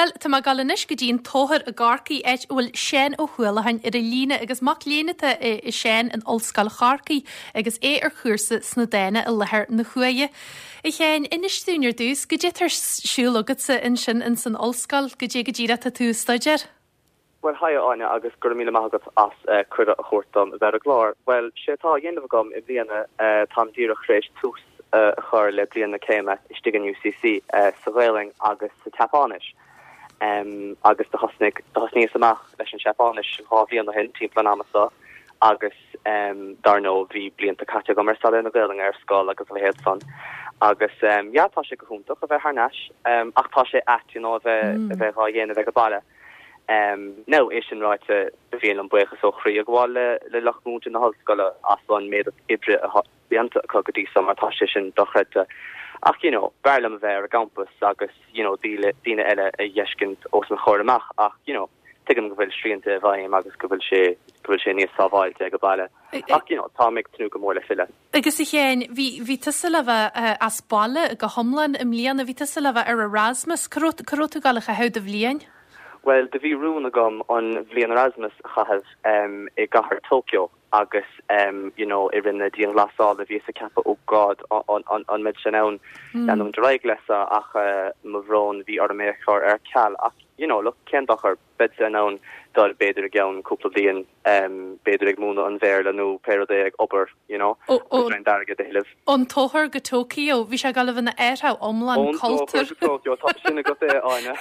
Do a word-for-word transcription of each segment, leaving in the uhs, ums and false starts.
Bhuel, tá mé ag dul anois go dtí an Tóchar i gCorcaigh, áit a bhfuil Seán Ó hUallacháin ar an líne agus mac léinn atá i Seán in Ollscoil Chorcaí agus é ar chúrsa sna Dána i láthair na huaire. A Sheáin, inis dúinn ar dtús, goidé atá ar siúl agatsa ansin in san ollscoil, goidé go díreach atá tú ag staidéar? Bhuel, haigh Áine agus go raibh míle maith agat as uh, cuireadh a thabhairt dom a bheith ar an gclár. Bhuel, sé atá á dhéanamh agam i mbliana uh, táim díreach tar éis tús uh, a chur le bliain na céime istigh in UCC uh, sa Ghaelainn agus sa tSeapáinis. Um, agus do thosnaigh thosnaíos amach leis an Seapáinis dhá bhliain ó shin timpeall an ama seo agus um, dar ndóigh bhí blianta caite agam ar staidéar na Gaelainne ar scoil agus a leithéid san. Agus um, ja tá sé go hiontach a bheith thar n-ais um, ach tá sé ait you know, a bheith mm. a bheith á dhéanamh ag an baile. Um, nó é sin ráite bhíon an buíochas ó chroí ag gabháil le le lucht múinte na hollscoile as an méid oibre atá déanta acu go dtí seo mar tá sé sin dochreidte. Ach you know, b'fhearr liom a bheith ar an gcampas agus you know, daoine eile a fheiscint os an chomhair amach ach you know, tuigim go bhfuil srianta i bhfeidhm agus go bhfuil sé go bhfuil sé níos sábháilte ag an baile. Ach you know, tá ag tnúth go mór le filleadh. Agus a Sheáin bhí bhí tusa le bheith uh, as baile go hiomlán i mbliana bhí tusa le bheith ar Erasmus cá raibh tú ag gabháil a chaitheamh do bhliain? Well, do bhí rún agam an bhliain Erasmus a chaitheamh um, i gcathair Tokyo agus um, you know, i rith na dianghlasála bhíos ag ceapadh oh God an, an, an mbeidh sé ann mm. leanúint ar aghaidh leis ach uh, mo bhrón bhí orm é a chur ar ceal ach you know, look cén dochar beidh in ann dul b'fhéidir i gceann cúpla bliain um, b'fhéidir ag múineadh an Bhéarla nó pé rud é ag obair you know, airgead a thuilleamh. Ón Tóchar go Tokyo, bhí sé ag ina athrú iomlán cultúir. Tá sin go é Áine.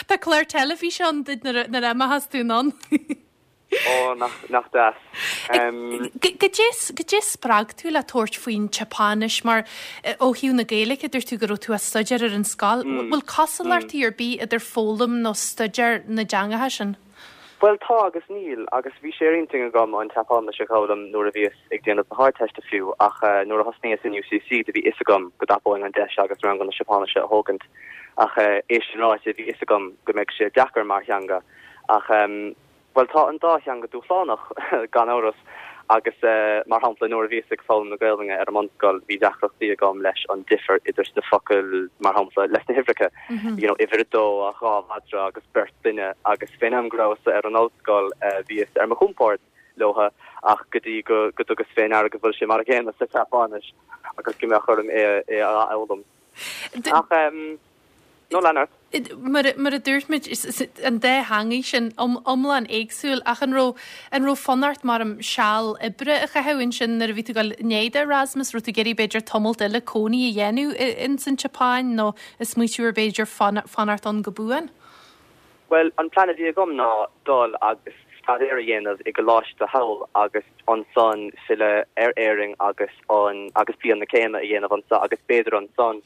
Tá clár teilifíse ann nuair a imeochas tú ann. Ó nach nach deas. Goidé spreag tú le tabhairt faoin tSeapáinis mar ó thaobh na Gaeilge dúirt tú go raibh tú á staidéar ar an scoil, bhfuil cosúlachtaí ar bith idir foghlaim nó staidéar na dteangacha sin? Well tá agus níl agus bhí sé ar intinn agam an tSeapáinis a fhoghlaim nuair a bhíos ag déanamh na hArdteiste fiú ach uh, nuair a thosnaíos in UCC do bhí fhios agam go dtapóinn an deis agus rang na Seapáinise a thógaint ach uh, é sin ráite bhí fhios agam go mbeadh sé deacair mar theanga ach um, Well tá an dá theanga dúshlánach gan amhras agus uh, mar shampla nuair a bhíos ag foghlaim na Gaeilge ar an mbunscoil bhí deacrachtaí agam leis an difear idir na focail mar shampla leis na huimhreacha mm -hmm. you know, uimhir a dó a dhá mhadra agus beirt duine agus fén am go rabhas ar an ollscoil uh, bhíos ar mo chompord leo ach go dtí go go dtugas fé ndeara go bhfuil sé mar an gcéanna sa tSeapáinis agus go mbeadh orm é é a fhoghlaim. Ach um, No lean Mar mar a dúirt muid an dá theanga sin iomlán éagsúil ach an raibh an raibh fonn ort mar an seal oibre a chaitheamh ansin nuair a bhí tú ag déanamh Erasmus raibh tú ag iarraidh b'fhéidir tamall eile cónaí a dhéanamh in san tSeapáin nó is smaoitiú ar b'fhéidir fanacht ann go buan? Well an plan a bhí agam ná dul agus staidéar a dhéanamh i gcoláiste thall agus ansan filleadh ar Éirinn agus an agus bliain na céime a dhéanamh anseo agus b'fhéidir ansan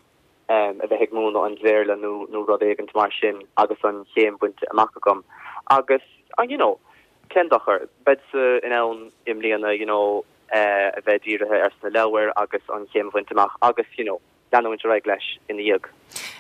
um, a bheith ag múineadh an Bhéarla nó nó rud éigin mar sin agus an chéim bainte amach agam. Agus an you know, cén dochar beidh in ann i mbliana you know, uh, a bheith dírithe ar sna leabhair agus an chéim bainte amach agus you know, leanúint ar aghaidh leis ina dhiaidh.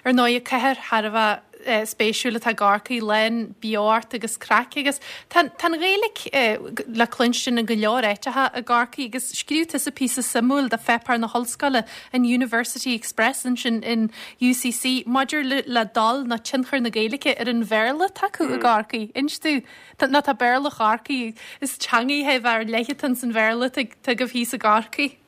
Ar ndóigh cathair thar a bheith eh, spéisiúil atá Corcaigh lán beocht agus craic agus tá an Ghaeilge eh, le cluinstin i go leor áiteacha i gCorcaigh agus scríobh tusa píosa suimiúil do pháipéar na hollscoile an University Express ansin in UCC maidir le, le dul na tionchar na Gaeilge ar an Bhéarla atá acu mm. i gCorcaigh. Instú ná tá Béarla Chorcaí is teanga ar leith san Bhéarla go hí sa gCorcaigh.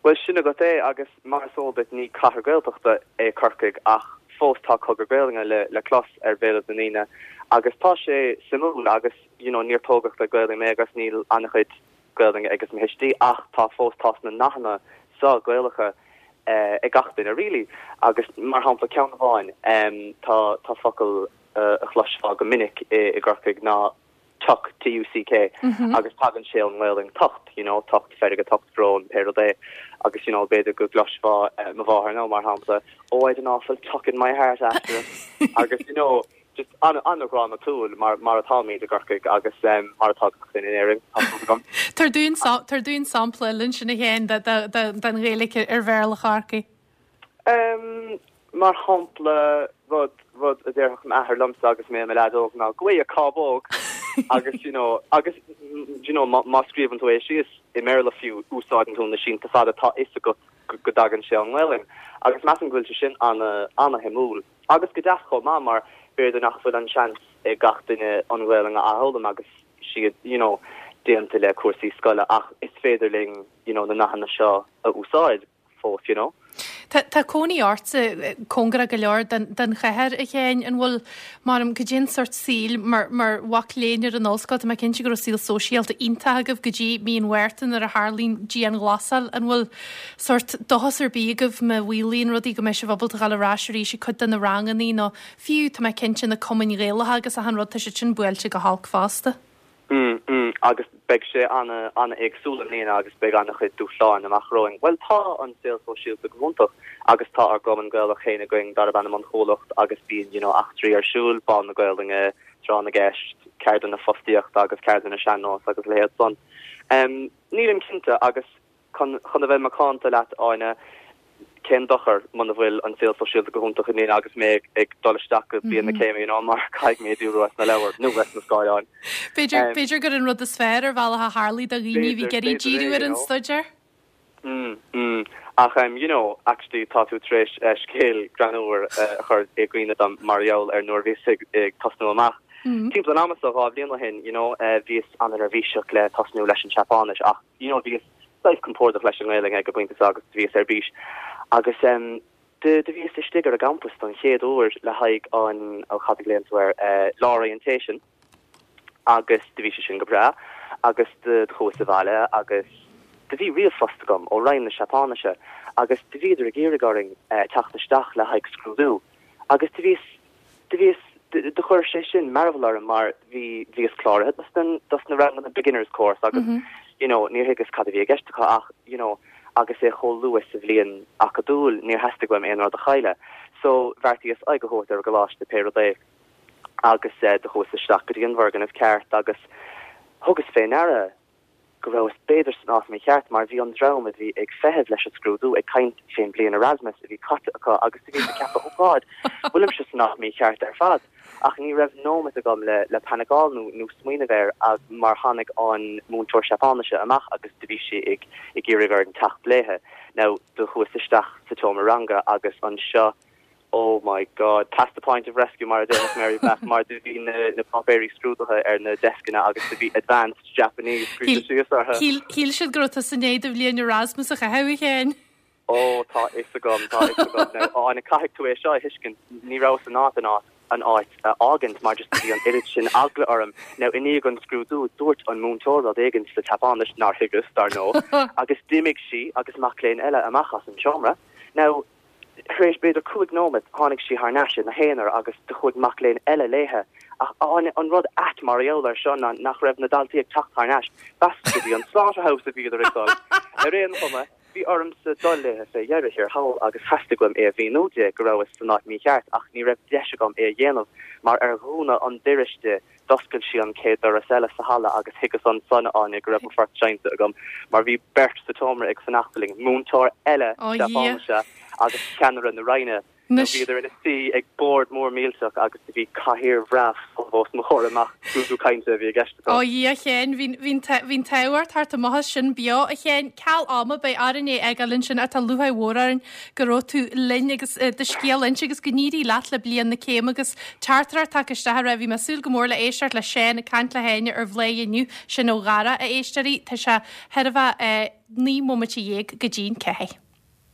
Well sin agat é agus mar is eol duit ní cathair Gaeltachta é Corcaigh ach fós tá cogar Gaeilge le le clos ar bhéal na ndaoine agus tá sé suimiúil agus you know, níor tógadh le Gaeilge mé agus níl an-chuid Gaeilge agus mo thuistí ach tá fós tá na nathanna seo Gaelacha uh, ag gach duine really agus mar shampla ceann amháin um, tá tá focal uh, a chloisfeá go minic i, i gCorcaigh ná tuck TUCK mm -hmm. agus tagann sé ón nGaelainn tocht you know tocht feirge tocht brón pé rud é agus you know b'fhéidir go gcloisfeá uh, mo mháthair nó mar shampla oh I'd an awful tuck in my heart after agus you know just an an-ghrámhatúil mar mar atáimid i gCorcaigh agus um, mar atá in Éirinn Tar dúinn tar dúinn sampla linn sin a Sheáin den Ghaeilge ar Bhéarla Chorcaí. Um, mar shampla rud rud a déarfadh m'athair liomsa agus mé i mo leaid óg ná go a cábóg agus you know agus you know má scríobhann tú é síos i mBéarla fiú úsáideann tú na sínte fada tá fhios agat go dtagann sé ón nGaelainn agus measaim go bhfuil sé sin an an-shuimiúil agus go deas chomh maith mar B'fhéidir nach bhfuil an seans ag gach duine an Ghaelainn a fhoghlaim agus siad you know déanta le cúrsaí scoile ach is féidir linn you know na nathanna seo a úsáid fós you know. Tá tá cónaí ortsa cóngarach go leor den den chathair a Sheáin an bhfuil mar am go dtí sort saoil mar mar mhac léinn ar an ollscoil tá mé cinnte go raibh saol sóisialta iontach agaibh go dtí mí an Mhárta nuair a tharlaíonn dianghlasáil an bhfuil sort dóchas ar bith agaibh má mhaolaíonn rudaí go mbeidh sibh ábalta dul ar ais arís ag cuid de na ranganna nó fiú tá mé cinnte na cumainn Ghaelacha agus achan rud tá siad sin buailte go holc fosta. Mm, mm, agus beidh sé ana ana éagsúil i mbliana agus beidh an-chuid dúshláin amach romhainn. Well tá an saol sóisialta go hiontach agus tá ár gcumann Gaelach féin againn darb ainm an Chuallacht agus bíonn you know, eachtraí ar siúl Bál na Gaelainne, tráth na gceist, ceardlanna fostaíochta agus ceardlanna sean-nós agus leithéid san. Um, nílim cinnte agus chun chun a bheith macánta leat Áine cén dochar muna bhfuil an saol sóisialta go hiontach i mbliana agus mé ag dul isteach go bliain na céime you know, mar caithfidh mé díriú ar na leabhair nó ar na scáileáin. B'fhéidir b'fhéidir gur an rud is fearr ar bhealach a tharlaigh do dhaoine bhí ag iarraidh díriú ar an staidéar? Mm, mm. Ach um, you know, actually tá tú tar éis uh, scéal greannmhar uh, a chur i gcuimhne dom mar gheall ar nuair bhíos ag, ag tosnú amach. Mm. Timpeall an ama seo dhá bhliain ó shin, you know, uh, bhíos an-neirbhíseach le tosnú leis an Seapáinis ach you know, bhíos saghas compordach leis an nGaelainn ag an bpointe agus bhíos ar bís. Agus um, de de bhíos istigh ar an gcampus don chéad uair le haghaidh an ó cad a ghlaonn tú air uh, lá orientation agus de bhí sé sin go breá agus de chuas abhaile agus de bhí ríomhphost agam ó Roinn na Seapáinise agus de bhíodar ag iarraidh orainn uh, teacht isteach le haghaidh scrúdú agus de bhíos de bhíos de chuir sé sin mearbhall orm mar bhí bhíos cláraithe dos den dos na ranganna beginners course agus mm -hmm. you know níor thuigeas cad a bhí i gceist acu ach you know agus é chomh luath sa bhliain acadúil níor theastaigh uaim aon rud a chailleadh so bheartaíos aghaidh a thabhairt ar an gcoláiste pé rud é agus uh, do chuas isteach go dtí an bhfoirgneamh ceart agus thugas fé ndeara go rabhas b'fhéidir san áit mícheart mar bhí an dream a bhí ag feitheamh leis an scrúdú ag caint fén bliain Erasmus a bhí caite acu agus bhí ceapadh oh God bhfuilimse san áit mícheart ar fad ach ní raibh nóiméad agam le le paniceáil nó nó smaoineamh air mar tháinig an múinteoir Seapáinise amach agus do bhí sí ag ag iarraidh orainn teacht léithe. Now do chuas isteach sa tseomra ranga agus anseo oh my god pass the point of rescue mar a Mary Black mar do bhí na na páipéirí scrúdaithe ar na descanna agus do bhí advanced Japanese scríofa síos orthu. Shíl siad go raibh tú i ndiaidh do bhliain Erasmus a chaitheamh a Sheáin. Ó tá fhios agam tá fhios agam á na caithfidh tú é seo a thuiscint ní rabhas in ann an áit an áit a fhágaint mar just bhí an oiread sin eagla orm now i ndiaidh an scrúdú dúirt an múinteoir rud éigin sa tSeapáinis nár thuigeas dar ndóigh agus d'imigh sí agus mac léinn eile amach as an seomra now tar éis b'fhéidir cúig nóiméad tháinig sí thar n-ais ina haonar agus do chuaigh mac léinn eile léithe ach an, an rud ait mar gheall air seo ná nach raibh na daltaí ag teacht thar n-ais b'as go dtí an slaughterhouse a bhíodar ag dul ar aon chuma bhí ormsa dul léithe fé dheireadh thiar thall agus theastaigh uaim é a mhíniú di go rabhas san áit mícheart ach ní raibh deis agam é a dhéanamh mar ar dhúnadh an doras di d'oscail sí an chéad doras eile sa halla agus thuigeas ansan Áine go raibh mo phort seinnte agam mar bhí beirt sa tseomra ag fanacht linn múinteoir eile Seapáinise agus ceannaire na Roinne. Bhíodar ina suí ag bord mór millteach agus bhí cathaoir bhreá os mo chomhair amach scrúdú cainte a bhí i gceist. Ó Dhia a Sheáin bhí an t-ádh ort thart amach as sin beo a Sheáin ceal ama beidh orainn é a fhágáil ansin tá lúcháir mhór orainn go raibh tú linn agus do scéal a inse agus go n-éirí leat le bliain na céime agus teachtaireacht tagtha isteach a raibh bhí mé ag súil go mór le éisteacht le Seán ag caint le hÁine ar Bhladhaire inniu sin ó Dhara a éisteoirí tá sé thar a bheith naoi mbomaite dhéag go dtí'n ceathair.